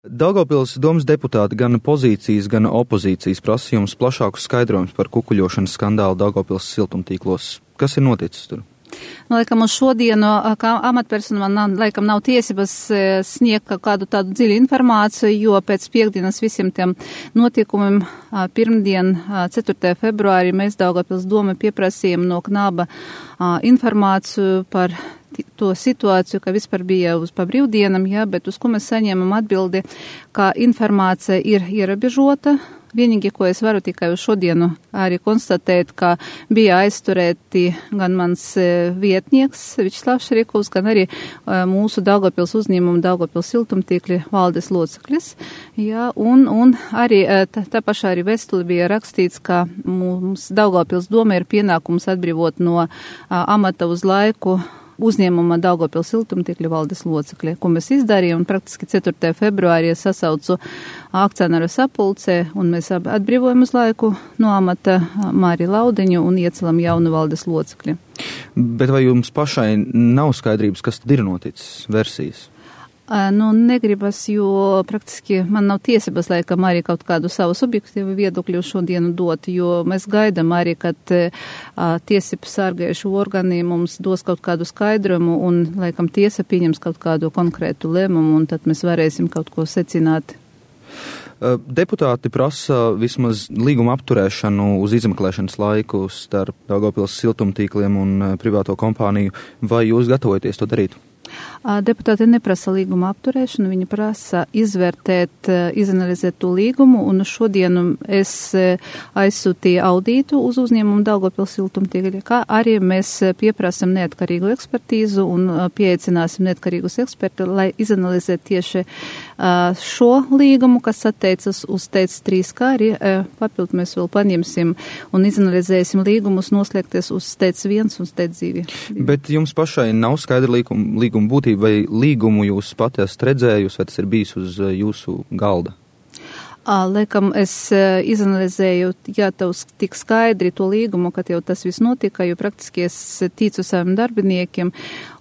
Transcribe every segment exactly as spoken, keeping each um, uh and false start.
Daugavpils domas deputāti gan pozīcijas, gan opozīcijas prasa jums plašākus skaidrojumus par kukuļošanas skandālu Daugavpils siltumtīklos. Kas ir noticis tur? Nu, laikam, uz šodienu, kā amatpersonu man, laikam, nav tiesības sniegt kādu tādu dziļu informāciju, jo pēc piekdienas visiem tiem notikumiem pirmdien, ceturtajā februārī, mēs Daugavpils doma pieprasījām no Knaba informāciju par to situāciju, ka vispār bija uz pa brīvdienam, jā, bet uz ko mēs saņēmam atbildi, ka informācija ir ierobežota. Vienīgi, ko es varu tikai uz šodienu arī konstatēt, ka bija aizturēti gan mans vietnieks Vičslavs Šerikovs, gan arī mūsu Daugavpils uzņēmuma Daugavpils siltumtīkli valdes loceklis. Jā, un, un arī tā, tā pašā arī vēstuli bija rakstīts, ka mums Daugavpils doma ir pienākums atbrīvot no amata uz laiku uzņēmuma Daugavpils siltumtīkļu valdes locekļi, ko mēs izdarījām, un praktiski ceturtajā februārī sasaucu akcionāru sapulcē, un mēs atbrīvojam uz laiku no amata Māri Laudiņu un iecelam jaunu valdes locekļi. Bet vai jums pašai nav skaidrības, kas tad ir noticis, versijas? Nu, negribas, jo praktiski man nav tiesības, laikam, arī kaut kādu savu subjektīvu viedokļu šodienu dot, jo mēs gaidām arī, kad uh, tiesību sargājuši organi mums dos kaut kādu skaidrumu un, laikam, tiesa pieņems kaut kādu konkrētu lēmumu, un tad mēs varēsim kaut ko secināt. Deputāti prasa vismaz līguma apturēšanu uz izmeklēšanas laiku starp Daugavpils siltumtīkliem un privāto kompāniju. Vai jūs gatavojaties to darīt? Deputāti neprasa līguma apturēšanu, viņi prasa izvērtēt, izanalizēt to līgumu, un šodienu es aizsūtīju audītu uz uzņēmumu Daugavpils siltumtīkli, kā arī mēs pieprasam neatkarīgu ekspertīzu un pieaicināsim neatkarīgus ekspertus, lai izanalizētu tieši šo līgumu, kas attiecas uz T E C trīs, kā arī papildu mēs vēl paņemsim un izanalizēsim līgumus noslēgties uz T E C viens un T E C divi. Bet jums pašai nav skaidra līguma, līguma būtība, vai līgumu jūs pati esat redzējusi, vai tas ir bijis uz jūsu galda? Laikam es izanalizēju, jā, tev tik skaidri to līgumu, kad jau tas viss notika, jo praktiski es ticu saviem darbiniekiem,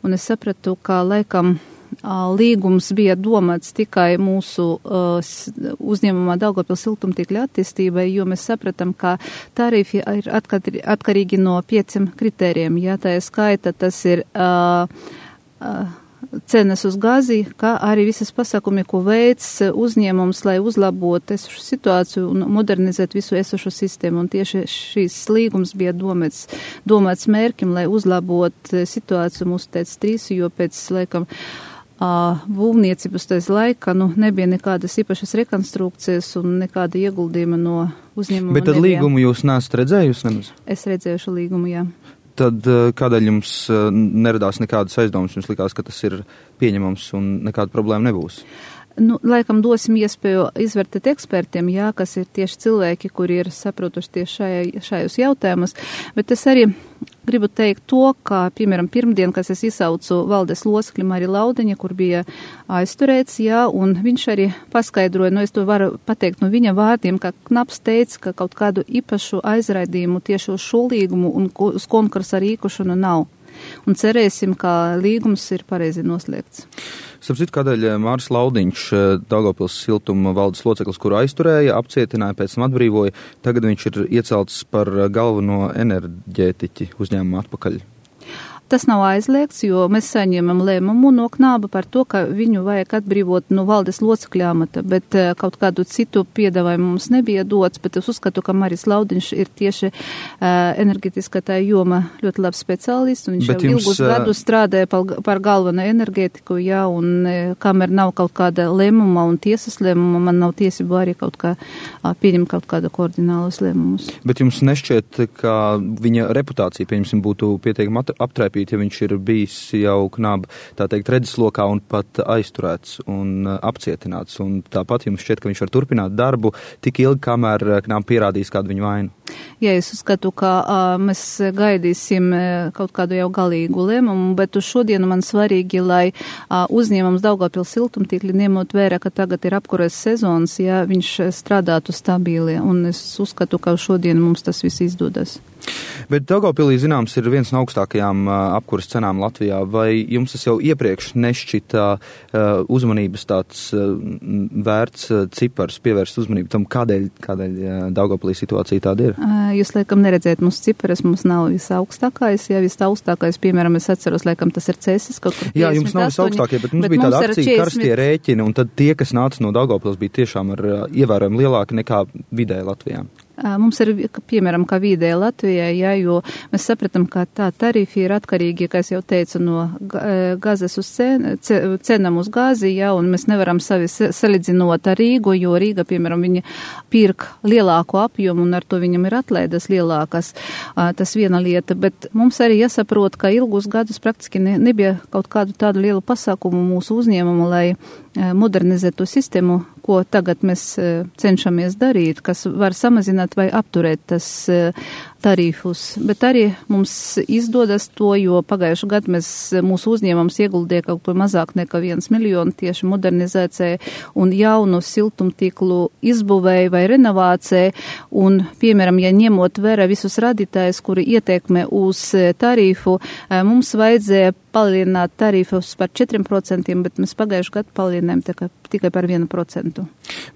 un es sapratu, ka laikam līgums bija domāts tikai mūsu uh, uzņēmumā Daugavpils siltumtīkļa attīstībai, jo mēs sapratam, ka tarifi ir atkarīgi no pieciem kritērijiem. Jā, tā ir skaita, tas ir uh, uh, cenas uz gāzi, kā arī visas pasākumi, ko veids uzņēmums, lai uzlabotu esošu situāciju un modernizētu visu esošu sistēmu. Un tieši šīs līgums bija domāts, domāts mērķim, lai uzlabotu situāciju mūsu T E C trīs, jo pēc, laikam, Uh, būvniecības tais laika, nu, nebija nekādas īpašas rekonstrukcijas un nekāda ieguldījuma no uzņēmuma. Bet tad nebija. Līgumu jūs neesat redzējusi? Nemaz? Es redzēju šo līgumu, jā. Tad uh, kādēļ jums uh, neradās nekādas aizdomas? Jums likās, ka tas ir pieņemams un nekāda problēma nebūs? Nu, laikam dosim iespēju izvērtēt ekspertiem, jā, kas ir tieši cilvēki, kuri ir saprotuši tieši šajā, šajos jautājumus, bet es arī gribu teikt to, ka, piemēram, pirmdien, kas es izsaucu valdes locekli Māri Laudiņa, kur bija aizturēts, jā, un viņš arī paskaidroja, nu, es to varu pateikt no viņa vārdiem, ka Knaps teica, ka kaut kādu īpašu aizraidījumu tieši uz šo līgumu un uz konkursu ar īkušanu nav. Un cerēsim, ka līgums ir pareizi noslēgts. Starp citu, kādēļ Māris Laudiņš, Daugavpils siltuma valdes loceklis, kuru aizturēja, apcietināja, pēc tam atbrīvoja, tagad viņš ir iecelts par galveno enerģētiķi uzņēmuma atpakaļ? Tas nav aizliegts, jo mēs saņēmam lēmumu no Knaba par to, ka viņu vajag atbrīvot no valdes locekļa amata, bet kaut kādu citu piedāvājumu mums nebija dots, bet es uzskatu, ka Māris Laudiņš ir tieši uh, enerģetiskā tā joma ļoti labs speciālists, un viņš bet jau jums, ilgus gadus strādāja par, par galveno enerģētiku, jā, un uh, kamēr nav kaut kāda lēmuma un tiesas lēmuma, man nav tiesību arī kaut kā uh, pieņemt kaut kādu koordinālus lēmumus. Bet jums nešķiet, ka viņa reputācija, pieņemsim, būtu pietiekami aptraipīta, ja viņš ir bijis jau Knaba, tā teikt, redzeslokā un pat aizturēts un apcietināts. Un tāpat jums šķiet, ka viņš var turpināt darbu tik ilgi, kamēr Knaba pierādīs kādu viņu vainu. Jā, es uzskatu, ka a, mēs gaidīsim kaut kādu jau galīgu lēmumu, bet uz šodienu man svarīgi, lai a, uzņēmums Daugavpils siltumtīkli ņemot vērā, ka tagad ir apkures sezonas, ja viņš strādātu stabili, un es uzskatu, ka šodien mums tas viss izdodas. Bet Daugavpilī, zināms, ir viens no augstākajām apkuras cenām Latvijā. Vai jums tas jau iepriekš nešķita uzmanības tāds vērts cipars, pievērst uzmanību tam, kādēļ, kādēļ Daugavpilī situācija tāda ir? Jūs, laikam, neredzēt mūsu ciparas, mums nav visaugstākais. Ja visaugstākais, piemēram, es atceros, laikam, tas ir Cēsis kaut kur. Jā, jums nav visaugstākie, bet mums bet bija tāda akcija karstie rēķini, un tad tie, kas nāca no Daugavpils, bija tiešām ar ievērojami lielāki nekā vidēji Latvijā. Mums ir, piemēram, kā vidēji Latvijai, jā, jo mēs sapratam, ka tā tarifi ir atkarīgi, kā es jau teicu, no gazas uz cen, cenam uz gāzi, jā, un mēs nevaram savi salīdzinot ar Rīgu, jo Rīga, piemēram, viņa pirk lielāku apjomu, un ar to viņam ir atlaidas lielākas. Tas viena lieta, bet mums arī jāsaprot, ka ilgus gadus praktiski ne, nebija kaut kādu tādu lielu pasākumu mūsu uzņēmumu, lai modernizētu sistēmu, ko tagad mēs cenšamies darīt, kas var samazināt vai apturēt tas tarifus. Bet arī mums izdodas to, jo pagājušu gadu mēs mūsu uzņēmums ieguldīja kaut ko mazāk nekā viens miljonu tieši modernizācijai un jaunu siltumtīklu izbūvēju vai renovācijai. Un, piemēram, ja ņemot vērā visus radītājus, kuri ietekmē uz tarifu, mums vajadzēja palielināt tarifus par četriem procentiem, bet mēs pagājušu gadu palielinājām tikai, tikai par vienu procentu.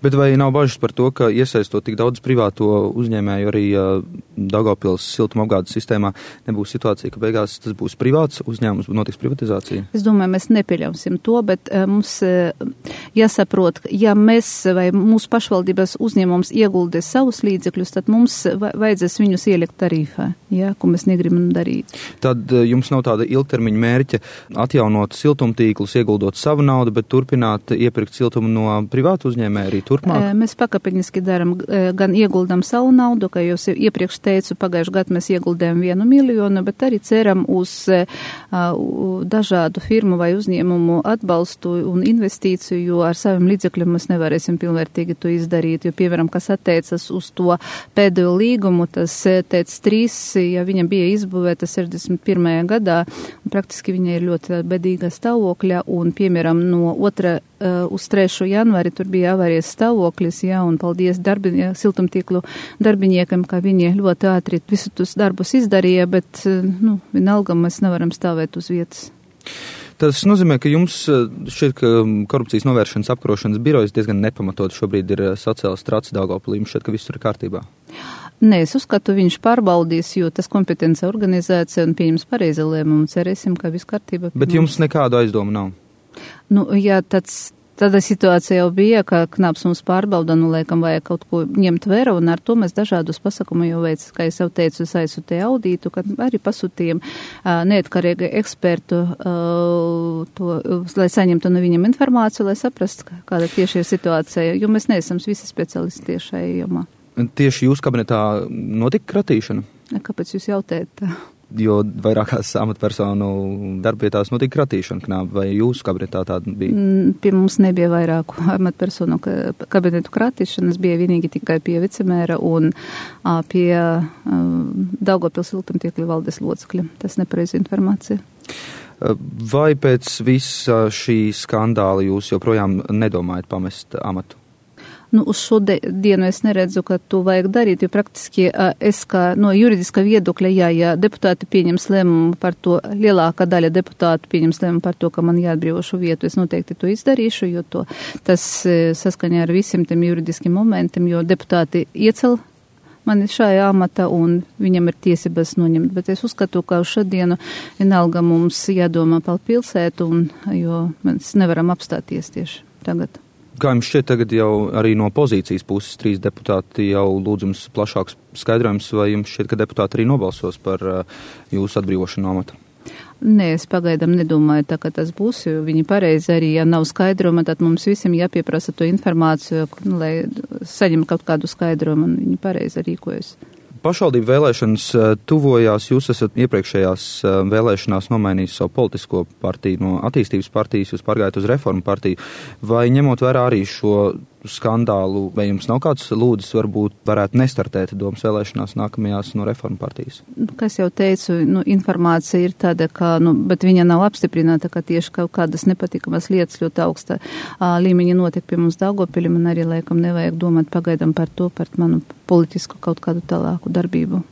Bet vai nav bažas par to, ka iesaistot tik daudz privāto uzņēmēju arī uh, Daugavpils siltuma apgādes sistēmā, nebūs situācija, ka beigās tas būs privāts uzņēmums, notiks privatizācija? Es domāju, mēs nepieļausim to, bet uh, mums uh, jāsaprot, ja mēs vai mūsu pašvaldības uzņēmums ieguldīs savus līdzekļus, tad mums vajadzēs viņus ielikt tarifā, ja, ko mēs negribam darīt. Tad uh, jums nav tāda ilgtermiņa mērķa atjaunot siltumtīklus, ieguldot savu naudu, bet turpināt iepirkt siltumu no privātu uzņēmēju arī turpmāk? Mēs pakāpeniski daram, gan ieguldam savu naudu, kā jau iepriekš teicu, pagājuši gadu mēs ieguldējam vienu miljonu, bet arī ceram uz dažādu firmu vai uzņēmumu atbalstu un investīciju, jo ar saviem līdzekļiem mēs nevarēsim pilnvērtīgi to izdarīt, jo, piemēram, kas attiecas uz to pēdējo līgumu, tas teic trīs, ja viņam bija izbūvēta sešdesmit pirmajā gadā, praktiski viņa ir ļoti bedīga stāvokļa, un, piemēram, no otra uh, uz trešo janvāri tur bija avārijas stāvoklis, jā, un paldies darbinie, siltumtīklu darbiniekam, ka viņi ļoti ātri visu tos darbus izdarīja, bet, uh, nu, vienalga mēs nevaram stāvēt uz vietas. Tas nozīmē, ka jums šķiet, ka korupcijas novēršanas apkarošanas birojas diezgan nepamatot šobrīd ir sacēlis traci Daugavpilī, jums šķiet, ka viss tur ir kārtībā? Nē, es uzskatu, viņš pārbaudīs, jo tas kompetence organizācija un pieņems pareizi lēmumu. Cerēsim, ka viss kārtībā. Bet jums nekādu aizdomu nav? Nu, jā, tāds, tāda situācija jau bija, ka Knaps mums pārbauda, nu, laikam vajag kaut ko ņemt vērā, un ar to mēs dažādus pasākumu jau veic, kā es jau teicu, es aizsūtīju audītu, kad arī pasūtījām uh, neatkarīgi ekspertu, uh, to, lai saņemtu no viņam informāciju, lai saprastu, kāda tieši ir situācija, jo mēs neesam visi speciālisti tieši šajā jomā. Tieši jūsu kabinetā notika kratīšana? Kāpēc jūs jautājat? Jo vairākās amatpersonu darbvietās notika kratīšana, Knāb, vai jūsu kabinetā tāda bija? Pie mums nebija vairāku amatpersonu kabinetu kratīšanas, bija vienīgi tikai pie vicemēra un a, pie a, Daugavpils siltumtīkļu valdes locekļa. Tas nepareiz informācija. Vai pēc visa šī skandāla jūs joprojām nedomājat pamest amatu? Nu, uz šo dienu es neredzu, ka to vajag darīt, jo praktiski es kā no juridiska viedokļa, jā, ja deputāti pieņems lēmumu par to, lielākā daļa deputātu pieņems lēmumu par to, ka man jāatbrīvo šo vietu, es noteikti to izdarīšu, jo to, tas saskaņā ar visiem tiem juridiskiem momentiem, jo deputāti iecel mani šajā amata un viņam ir tiesības noņemt, bet es uzskatu, ka uz šodienu vienalga mums jādomā par pilsētu, un, jo mēs nevaram apstāties tieši tagad. Kā jums šķiet, tagad jau arī no pozīcijas puses trīs deputāti jau lūdz jums plašāks skaidrojums, vai jums šķiet, ka deputāti arī nobalsos par uh, jūsu atbrīvošanu no amata? Nē, es pagaidām nedomāju, tā kā tas būs, jo viņi pareizi arī, ja nav skaidrojuma, tad mums visiem jāpieprasa to informāciju, lai saņem kaut kādu skaidrojumu, un viņi pareizi rīkojas. Pašvaldību vēlēšanas tuvojās, jūs esat iepriekšējās vēlēšanās nomainījis savu politisko partiju no attīstības partijas, jūs pārgājat uz reformu partiju, vai ņemot vērā arī šo skandālu, vai jums nav kāds lūdzis varbūt varētu nestartēt domas vēlēšanās nākamajās no reformu partijas? Kā es jau teicu, nu, informācija ir tāda, ka, nu, bet viņa nav apstiprināta, ka tieši kaut kādas nepatikamas lietas ļoti augsta uh, līmeņa notiek pie mums Daugavpilī, man arī laikam nevajag domāt pagaidām par to, par manu politisku kaut kādu tālāku darbību.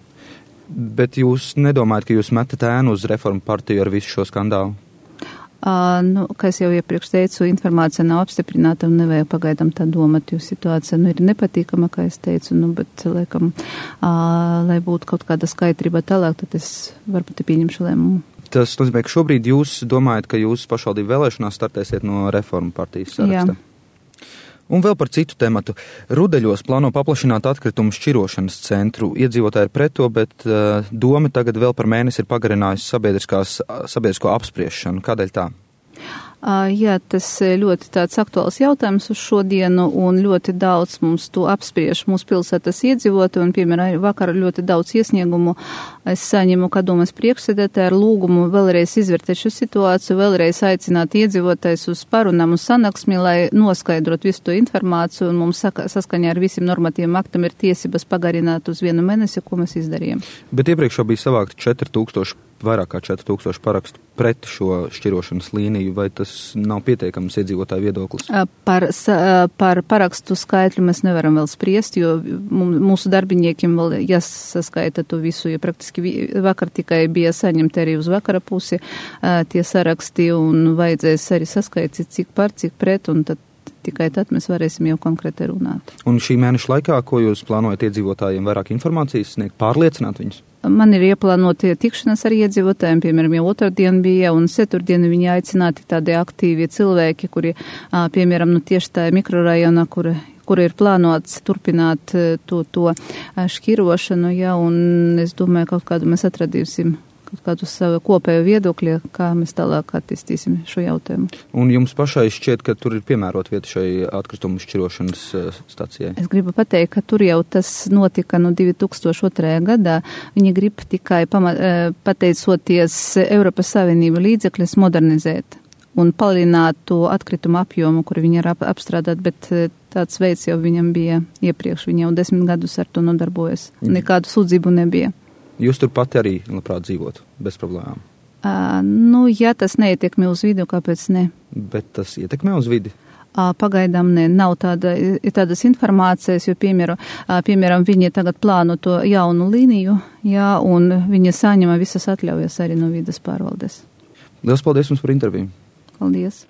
Bet jūs nedomājat, ka jūs metat ēnu uz Reformu partiju ar visu šo skandālu? Uh, nu, kā es jau iepriekš teicu, informācija nav apstiprināta un nevajag pagaidām tā domāt, jo situācija nu, ir nepatīkama, kā es teicu, nu, bet, laikam, uh, lai būtu kaut kāda skaidrība tālāk, tad es varbūt pieņemšu lēmumu. Tas nozīmē, ka šobrīd jūs domājat, ka jūs pašvaldību vēlēšanās startēsiet no Reformu partijas saraksta? Jā. Un vēl par citu tematu. Rudeļos plāno paplašināt atkritumu šķirošanas centru. Iedzīvotāji ir pret to, bet uh, doma tagad vēl par mēnesi ir pagarinājusi sabiedrisko apspriešanu. Kādēļ tā? Uh, jā, tas ļoti tāds aktuāls jautājums uz šodienu un ļoti daudz mums to apspriež mūsu pilsētas iedzīvotāji un, piemēram, vakar ļoti daudz iesniegumu es saņemu, kā domas priekšsēdētāji ar lūgumu vēlreiz izvērtēt šo situāciju, vēlreiz aicināt iedzīvotājus uz parunām uz sanāksmi, lai noskaidrot visu to informāciju un mums saka, saskaņā ar visiem normatīviem aktam ir tiesības pagarināt uz vienu mēnesi, ko mēs izdarījām. Bet iepriekš jau bija savākti četri tūkstoši, vairāk kā četri tūkstoši parakstu pret šo šķirošanas līniju, vai tas nav pietiekams iedzīvotāju viedoklis? Par, par parakstu skaitļu mēs nevaram vēl spriest, jo mūsu darbiniekiem vēl jāsaskaita to visu, jo praktiski vakar tikai bija saņemti arī uz vakara pusi tie saraksti un vajadzēs arī saskaitīt, cik par, cik pret, un tad tikai tad mēs varēsim jau konkrēti runāt. Un šī mēneša laikā, ko jūs plānojat iedzīvotājiem vairāk informācijas sniegt, pārliecināt viņus? Man ir ieplānoti tikšanās ar iedzīvotājiem, piemēram, jau otrdien bija, un ceturtdien viņi aicināti tādi aktīvi cilvēki, kuri, piemēram, nu tieši tā mikrorajona, kur, kur ir plānots turpināt to, to šķirošanu, ja, un es domāju, kaut kādu mēs atradīsim kaut kādu savu kopēju viedokļu, kā mēs tālāk attīstīsim šo jautājumu. Un jums pašai šķiet, ka tur ir piemērot vieta šai atkritumu šķirošanas stacijai? Es gribu pateikt, ka tur jau tas notika no divi tūkstoši otrajā gadā. Viņi grib tikai pama, pateicoties Eiropas Savienību līdzekļus modernizēt un palielināt to atkritumu apjomu, kur viņi ir ap, apstrādāt, bet tāds veids jau viņam bija iepriekš. Viņi jau desmit gadus ar to nodarbojas. Nekādu sūdzību nebija. Jūs tur pati arī labprāt dzīvotu, bez problēmām? Uh, nu, ja tas neietekmē uz vidi, kāpēc ne? Bet tas ietekmē uz vidi? Uh, pagaidām ne, nav tāda, tādas informācijas, jo, piemēram, uh, piemēram, viņi tagad plāno to jaunu līniju, jā, un viņi saņem visas atļaujas arī no vides pārvaldes. Lielas paldies jums par interviju. Paldies.